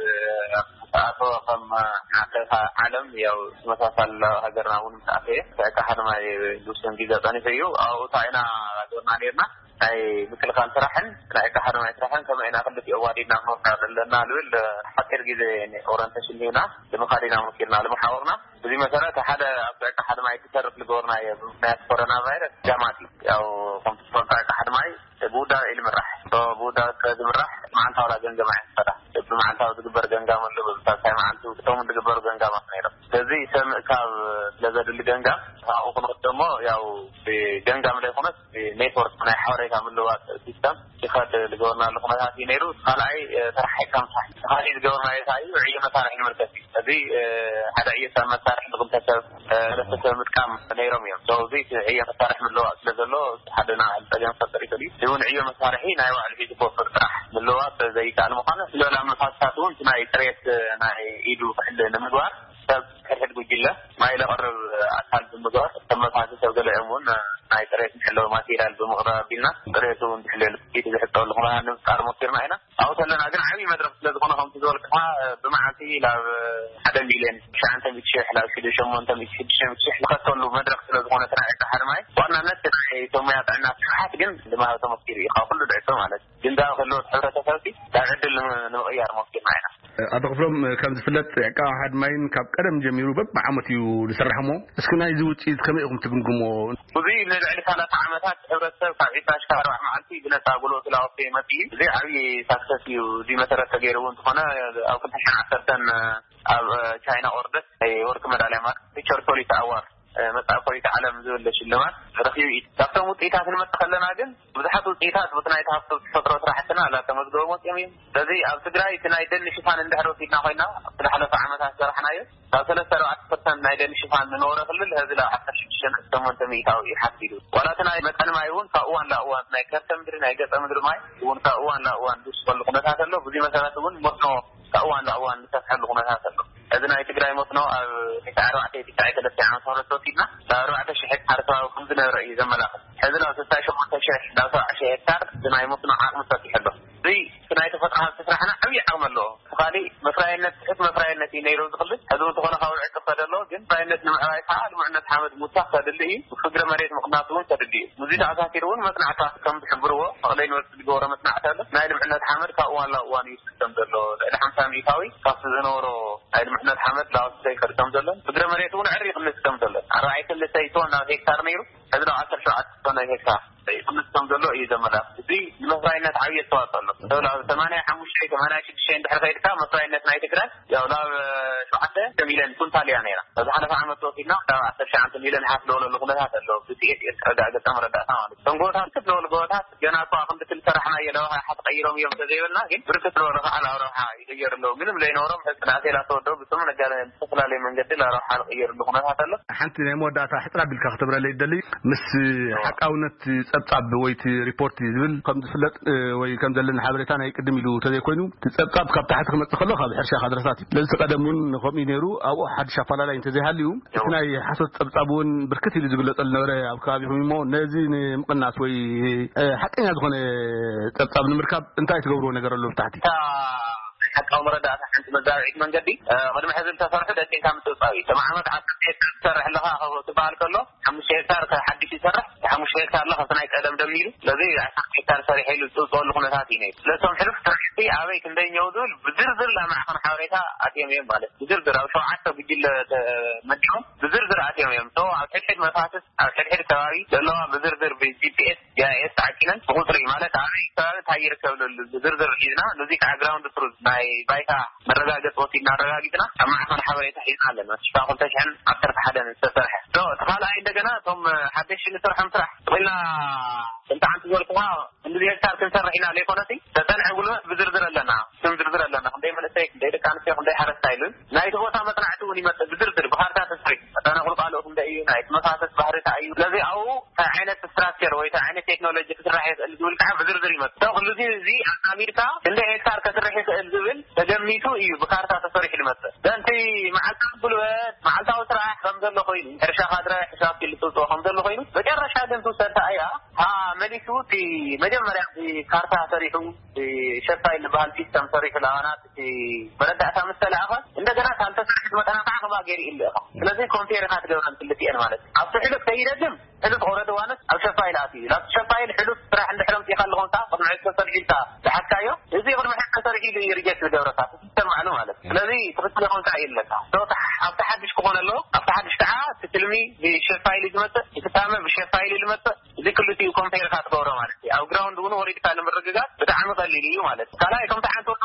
ኣቶ ከም ዓለም፣ ያው፣ ተመሳሳሊ ሃገርና እውን ምስ ኣተየ፣ ዕቃ ሓድ ማይ ዝውስን ግዜ ጸኒሑ እዩ። ኣብኡ እንታይ ኢና ገርና ነይርና? ናይ ምክልኻል ስራሕን ናይ ዕቃ ሓድ ማይ ስራሕን ከመይ ኢና ክልቲኡ ኣዋዲድና ክንወስዳ ዘለና ዝብል ሓፂር ግዜ ኦሪንቴሽን ሂብና ንምኻድ ኢና መኪርና፣ ንምሓወርና። በዚ መሰረት ሓደ ኣብ ዕቃ ሓድ ማይ ክተርፍ ዝገበርናዮ ብምኽንያት ኮሮና ቫይረስ ጃማት እዩ። ያው፣ ከምቲ ትፈልጦ ዕቃ ሓድ ማይ ብውዳበ እዩ ዝምራሕ። ብውዳበ ስለ ዝምራሕ መዓልታዊ ገምጋም ኣየንፈዳ። ብመዓልታዊ ዝግበር ገምጋም ኣሎ፣ ብሳልሳይ መዓልቲ እቶም ዝግበሩ ገምጋማት ነይሮም። ስለዚ ሰብ ምእካብ ስለ ዘድሊ ገምጋም ኣብኡ ክንወስዶ እሞ፣ ያው፣ ብገምጋም ዘይኮነስ ብኔትወርክ ናይ ሓበሬታ ምልዋጥ ሲስተም ይኸድ ዝገበርናሉ ኩነታት እዩ ነይሩ። ካልኣይ፣ እ፣ ተረሓሒቕካ ምስራሕ። እቲ ካሊእ ዝገበርናዮ እንታይ እዩ? ዕዮ መሳርሒ ንምልከት እዩ። እዚ፣ እ፣ ሓደ ዕዮ ሰብ መሳርሒ ንክልተ ሰብ፣ እ፣ ሰለስተ ሰብ ምጥቃም ነይሮም እዮም። ሶ፣ እዚ እቲ ዕዮ መሳርሒ ምልዋጥ ስለ ዘሎ፣ ሓደ ናይ ጸገም ክፈጥር ይኽእል እዩ። እዚ እውን ዕዮ መሳርሒ ናይ ባዕሉ ሒዙ ክወፍር ጥራሕ ምልዋጥ ዘይከኣል ምዃኑ፣ ስለላ መፋስሳት እውን እቲ ናይ ጥሬት፣ እ፣ ናይ ኢዱ ክሕል ንምግባር ሰብ ሕድሕድ ጉጅለ ማይ ለቕርብ ኣካል ብምግባር፣ ተመሳሲ ሰብ ገለኦም እውን ናይ ጥሬት መሐለዊ ማቴሪያል ብምቕራብ ኣቢልና፣ ጥሬቱ እንድሕለል ፊት ዝሕጸበሉ ኩነታት ንምፍጣር ሞኪርና ኢና። ኣብኡ ከለና ግን ዓብዪ መድረኽ ስለ ዝኾነ፣ ከምቲ ዝበልኩኻ፣ ብመዓልቲ ናብ ሓደ ሚልዮን ትሽዓተ ሚእቲ ሺሕ፣ ናብ ሽዱሽተ ሸሞንተ ሚእቲ፣ ሽዱሽተ ሚእቲ ሺሕ ዝኸተሉ መድረኽ ስለ ዝኾነ፣ እቲ ናይ ዕቃ ሓድማይ፣ ብዋናነት እቲ ናይ እቶም ሙያ ጥዕና ስራሓት ግን ልምሃብ ተሞኪሩ እዩ፣ ካብ ኩሉ ድዕቶ ማለት እዩ። ግን ዳኣ ክህልወት ሕብረተሰብሲ ናብ ዕድል ንም-፣ ንምቕያር ሞኪርና ኢና። ኣቶ ክፍሎም፣ ከም ዝፍለጥ ዕቃ ሓድማይን ካብ ቀደም ጀሚሩ በብዓመት እዩ ዝስራሕ እሞ፣ እስኪ ናይዚ ውፅኢት ከመይ ኢኹም ትግምግሞ? እዚ ንልዕሊ ሰላሳ ዓመታት ሕብረተሰብ ካብ ዒስራ ሽካር ኣርባዓ መዓልቲ ብነፃ ጉልበቱ ላወፍተ ይመፅእ እዩ። እዚ ዓብዪ ሳክሰስ እዩ። እዚ መሰረት ተገይርዎ እንተኾነ ኣብ ክልተ ሽሕን ዓሰርተን ኣብ ቻይና ኦርደት ናይ ወርቂ መዳልያ ማለት ፊቸር ፖሊስ ኣዋርድ መጽኣ ፖሊስ ዓለም ዝብል ሽልማት ረኺቡ እዩ። ካብቶም ውፅኢታት ንመጽእ ከለና ግን ብዙሓት ውፅኢታት በቲ ናይ ሃፍቲ ተፈጥሮ ስራሕትና ላተመዝገቡ መፅኦም እዮም። ስለዚ ኣብ ትግራይ እቲ ናይ ደን ሽፋን እንድሕር ወሲድና ኮይና ኣብቲ ዝሓለፈ ዓመታት ዝሰራሕናዮ ካብ ሰለስተ ኣርባዕተ ፐርሰንት ናይ ደን ሽፋን ዝነበረ ክልል ሕዚ ናብ ዓሰርተ ሽዱሽተ ነጥቢ ሸሞንተ ሚእታዊ እዩ ሓፊዱ። ዋላ እቲ ናይ መጠን ማይ እውን ካብ እዋን ናብ እዋን ናይ ከርሰ ምድሪ ናይ ገፀ ምድሪ ማይ እውን ካብ እዋን ናብ እዋን ዝውስኸሉ ኩነታት ኣሎ። ብዙ መሰረት እውን መስኖ ካብ እዋን ናብ እዋን ዝሰፍሐሉ ኩነታት ኣሎ። እዚ ናይ ትግራይ መስኖ ኣብ ቴስዓ ኣርባዕተ ቴስዓ ሰለስተ ዓመተ ምህረት ወሲድና ናብ ኣርባዕተ ሽሕ ሄክታር ከባቢ ከም ዝነበረ እዩ ዘመላኽት። ሕዚ ናብ ስልሳ ሸሞንተ ሽሕ ናብ ሰብዓ ሽሕ ሄክታር እቲ ናይ መስኖ ዓቕሚ ሰፊሑ ኣሎ። እዚ እቲ ናይ ተፈጥሮ ሃብቲ ስራሕና ዓብዪ ዓቕሚ ኣለዎ። ካሊእ መፍራይነት ትሑት መፍራይነት እዩ ነይሩ ዝኽልል። ሕዚ እውን ዝኾነ ካብ ውዕቂ ክኸደ ኣለዎ፣ ግን መፍራይነት ንምዕባይ ከዓ ልሙዕነት ሓመድ ምውሳኽ ከድሊ እዩ። ፍግረ መሬት ምቕናስ እውን ከድሊ እዩ። ምስዚ ተኣሳሲሩ እውን መፅናዕታት ከም ዝሕብርዎ መቐለ ዩኒቨርሲቲ ዝገበሮ መፅናዕቲ ኣሎ። ናይ ልምዕነት ሓመድ ካብ እዋን ናብ እዋን ይውስኽ ከም ዘሎ፣ ልዕሊ ሓምሳ ሚእታዊ ካብቲ ዝነበሮ ናይ ልምዕነት ሓመድ ላወስተ ይኸድ ከም ዘሎ፣ ፍግረ መሬት እውን ዕር ይቕንስ ከም ዘሎ፣ ኣርባዕተ ክልተ ቶን ናብ ሄክታር ነይሩ፣ ሕዚ ናብ ዓሰርተ ሸውዓተ ቶን ናብ ሄክታር ይቕንስ ከም ዘሎ እዩ ዘመላኽት። እዚ ንመፍራይነት ዓብዪ ኣስተዋፅኦ ኣሎ። ተብላ ሰማንያ ሓሙሽተ ሰማንያ ሽዱሽተ እንድሕር ከይድካ መፍራይነት ናይ ትግራይ ያው ናብ ሸውዓተ ሚልዮን ኩንታል እያ ነይራ። ኣብ ዝሓለፈ ዓመት ወሲድና ካብ ዓሰርተ ሸውዓተ ሚልዮን ሓፍ ዝበለሉ ኩነታት ኣሎ። ብቲ ኤስ ኤስ ረዳእ ገፀ መረዳእታ ማለት እዩ። እቶም ጎቦታት፣ ክፍት ዝበሉ ጎቦታት ገና እኳ ክንዲ ክንዲ ሰራሕናዮ ናብ ረብሓ ተቐይሮም እዮም እንተዘይበልና፣ ግን ብርክት ዝበሉ ከዓ ናብ ረብሓ ይቕየሩ ኣለዉ። ምንም ዘይነበሮም ሕዚ ናእሴ ላተወደቡ ብስሙ ነጋደ ብዝተፈላለየ መንገዲ ናብ ረብሓ ዝቕየርሉ ኩነታት ኣሎ። ሓንቲ ናይ መወዳእታ ሕፅር ኣቢልካ ክተብረለይ ይደሊ። ምስ ሓቃውነት ጸብጻብ ወይ እቲ ሪፖርት ዝብል ከም ዝፍለጥ፣ እ፣ ወይ ከም ዘለና ሓበሬታ ናይ ቅድም ኢሉ ተዘይኮይኑ፣ እቲ ጸብጻብ ካብ ታሕቲ ክመጽእ ከሎ ካብ ሕርሻ ካድረታት እዩ። ስለዚ እቲ ቀደም እውን ከምኡ እዩ ነይሩ። ኣብኡ ሓድሽ ኣፈላላይ እንተዘይሃልዩ፣ እቲ ናይ ሓሶት ጸብጻብ እውን ብርክት ኢሉ ዝግለጸሉ ነበረ ኣብ ከባቢኹም እሞ፣ ነዚ ንምቕናስ ወይ፣ እ፣ ሓቀኛ ዝኾነ ጸብጻብ ንምርካብ እንታይ ትገብርዎ ነገር ኣሎ ብታሕቲ? እታ ናይ ሓቃዊ መረዳእታ ሓንቲ መዛብዒት መንገዲ፣ እ፣ ቅድሚ ሕዚ ዝተሰርሑ ደቂቕካ ምጽብጻብ እዩ። ቶም ዓመት ዓሰርተ ሄክታር ትሰርሕ ኣለኻ ክበ-፣ ትበሃል ከሎ፣ ሓሙሽተ ሄክታር ከ-፣ ሓድሽ ይሰርሕ፣ እቲ ሓሙሽተ ሄክታር ኣሎ ካብቲ ናይ ቀደም ደሚሩ። ስለዚ ዓሰርተ ሄክታር ሰሪሐ ኢሉ ዝጽብጸበሉ ኩነታት እዩ ነይሩ። ስለቶም ሕሉፍ ስራሕቲ ኣበይ ክንደይ እኒአው ዝብል ብዝርዝር ናብ ማዕኸን ሓበሬታ ኣትዮም እዮም ማለት። ብዝርዝር ኣብ ሸውዓተ ጉጅለ ተመዲቦም ብዝርዝር ኣትዮም እዮም። So ኣብ ሕድሕድ መፋስስ ኣብ ሕድሕድ ከባቢ ዘለዋ ብዝርዝር ብ-፣ ጂ ፒ ኤስ፣ ጂ ኣይ ኤስ ተዓቂነን ብቁፅሪ ማለት ኣበይ ከባቢ እንታይ ይርከብ ዝብል ብዝርዝር ሒዝና፣ ነዚ ከዓ ግራውንድ ትሩዝ ናይ ባይታ መረጋገፂ ወሲድና ኣረጋጊፅና ኣብ ማዕኸን ሓበሬታ ሒዝና ኣለና። ሽፋ ክልተ ሽሕን ዓሰርተ ሓደን ዝተሰርሐ። ዶ፣ እቲ ካልኣይ እንደገና እቶም ሓደሽቲ ንሰርሖም ስራሕ ኢልና እንተ ሓንቲ ዝበልኩኻ ክንዲ ሄክታር ክንሰርሕ ኢና ዘይኮነሲ፣ ተፀንዐ ጉልበት ብዝርዝር ኣለና። ስም ዝርዝር ኣለና። ክንደይ መንእሰይ፣ ክንደይ ደቂ ኣንስትዮ፣ ክንደይ ሓረስታይ ኢሉ ናይቲ ቦታ መጽናዕቲ እውን ይመጽእ ብዝርዝር ብካርታ ተሰሪሑ። መጠነ ቁልቋልኡ ክንደይ እዩ፣ ናይቲ መፋሰስ ባህሪ እንታይ እዩ። ስለዚ ኣብኡ እንታይ ዓይነት ስትራክቸር ወይ እንታይ ዓይነት ቴክኖሎጂ ክስራሕ ይኽእል ዝብል ከዓ ብዝርዝር ይመጽእ። ሰው ኩሉ እዚ፣ እዚ ኣጣሚርካ ክንደይ ሄክታር ከስርሕ ይኽእል ዝብል ተገሚቱ እዩ ብካርታ ተሰሪሑ ዝመጽእ። ዘንቲ መዓልታዊ ጉልበት፣ መዓልታዊ ስራሕ ከም ዘሎ ኮይኑ፣ ሕርሻ ካድረ፣ ሕሳብ ክልጥጦ ከም ዘሎ ኮይኑ፣ መጨረሻ ግን ትውሰድ እያ። ሃ፣ መሊሱ እቲ መጀመርያ እቲ ካርታ ሰሪሑ፣ እቲ ሸፋይ ዝበሃል ሲስተም ሰሪሑ፣ ላባናት እቲ መረዳእታ ምስ ተለኣኸ፣ እንደገና እታ ዝተሰርሐት መጠና ከዓ ከምኣ ገይሩ ይልእኻ። ስለዚ ኮምፔር ኢኻ ትገብረን ክልቲኤን ማለት እዩ። ኣብቲ ሕሉፍ ከይደግም፣ ሕሉፍ ኦረዲ ዋንስ ኣብ ሸፋይል ኣትዩ እዩ። ናብቲ ሸፋይል ሕሉፍ ስራሕ እንድሕር ኣምፂእካ ኣለኹም ከዓ ቅድሚ ሕዚ ተሰሪሑ ኢልካ ዝሓዝካዮ፣ እዚ ቅድሚ ሕዚ ተሰሪሑ ኢሉ እዩ ሪጀክት ዝገብረካ፣ እቲ ሲስተም ባዕሉ ማለት እዩ። ስለዚ ትኽክል ኢኹም ከዓ ይብለካ። So፣ ኣብቲ ሓድሽ ክኾን ኣለዎ፣ ኣብቲ ሓድሽ ከዓ እቲ ትልሚ ብሸፋይል እዩ ዝመፅእ፣ እቲ ፍጻመ ብሸፋይል እዩ ዝመፅእ። እዚ ክልቲኡ ኮምፔር ኢኻ ትገብሮ ማለት እዩ። ኣብ ግራውንድ እውን ወሪድካ ንምርግጋፅ ብጣዕሚ ቀሊል እዩ ማለት እዩ። ካልኣይ፣ ከምቲ ሓንቲ ወርቂ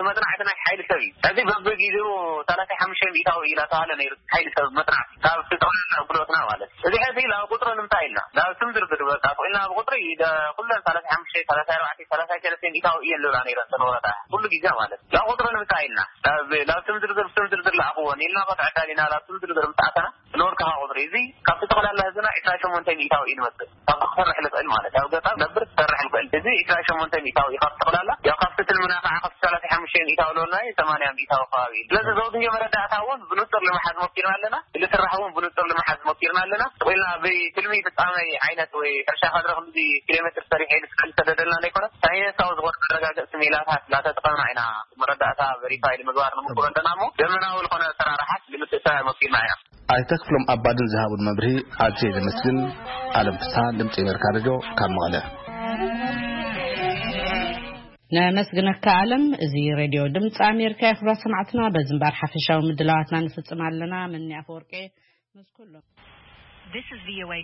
መፅናዕቲ ናይ ሓይሊ ሰብ እዩ። ሕዚ በብግዜኡ ሰላሳ ሓሙሽተ ሚእታዊ እዩ እናተባሃለ ነይሩ ሓይሊ ሰብ መፅናዕቲ ካብ እቲ ጠቕላላ ኣገልግሎትና ማለት እዩ። እዚ ሕዚ ናብ ቁፅሪ ንምንታይ ኢልና ናብ ስም ዝርዝር በቃ ስቕ ኢልና ብቁፅሪ ደ-፣ ኩለን ሰላሳ ሓሙሽተ፣ ሰላሳ ኣርባዕተ፣ ሰላሳ ሰለስተ ሚእታዊ እየን ዝብላ ነይረን እተን ወረዳ ኩሉ ግዜ ማለት እዩ። ናብ ቁፅሪ ንምንታይ ኢልና ናብ፣ ናብ ስም ዝርዝር፣ ስም ዝርዝር ለኣኽዎን ኢልና ከተዕዳል ኢና። ናብ ስም ዝርዝር ምስ ኣተና ንወርቅኻ ቁፅሪ እዚ ካብቲ ጠቕላላ ህዝብና ዒስራ ሸሞንተ ሚእታዊ እዩ ዝመፅእ። ካብቲ ክሰርሕ ዝኽእል ማለት ኣብ ገጠር ነብር ክሰርሕ ዝኽእል እዚ ዒስራ ሸሞንተ ሚእታዊ እዩ። ካብቲ ጠቕላላ ያው ካብቲ ትልምና ከዓ ካብቲ ሰላሳ ሓሙሽተ ሚእታዊ ለወልና እዩ ሰማንያ ሚእታዊ ከባቢ እዩ። ስለዚ ዘውድዮ መረዳእታ እውን ብንፁር ንምሓዝ ሞኪርና ኣለና። ዝስራሕ እውን ብንፁር ንምሓዝ ሞኪርና ኣለና። ስቕ ኢልና ብትልሚ ፍጻመ ዓይነት ወይ ሕርሻ ካድረ ክንዲ ኪሎ ሜትር ሰሪሐ ኢሉ ስዕል ዝተደደልና ዘይኮነ ሳይንሳዊ ዝኾነ መረጋገፂ ሜላታት እናተጠቐምና ኢና መረዳእታ ቨሪፋይ ንምግባር ንምኩሮ ኣለና እሞ ዘመናዊ ዝኾነ ኣሰራርሓት ንምትእትታው ሞኪርና ኢና። ኣይተ ክፍሎም ኣባድን ዝሃቡን መብርሂ ኣዝየ ዘመስግን። ኣለም ፍስሃ፣ ድምፂ ኣሜሪካ ሬድዮ ካብ መቐለ። ነመስግነካ ኣለም። እዚ ሬድዮ ድምፂ ኣሜሪካ እዩ። ክብራት ሰማዕትና፣ በዚ እምበር ሓፈሻዊ ምድላዋትና ንፍፅም ኣለና። መኒ ኣፈወርቂ ምስ ኩሎም። This is V O A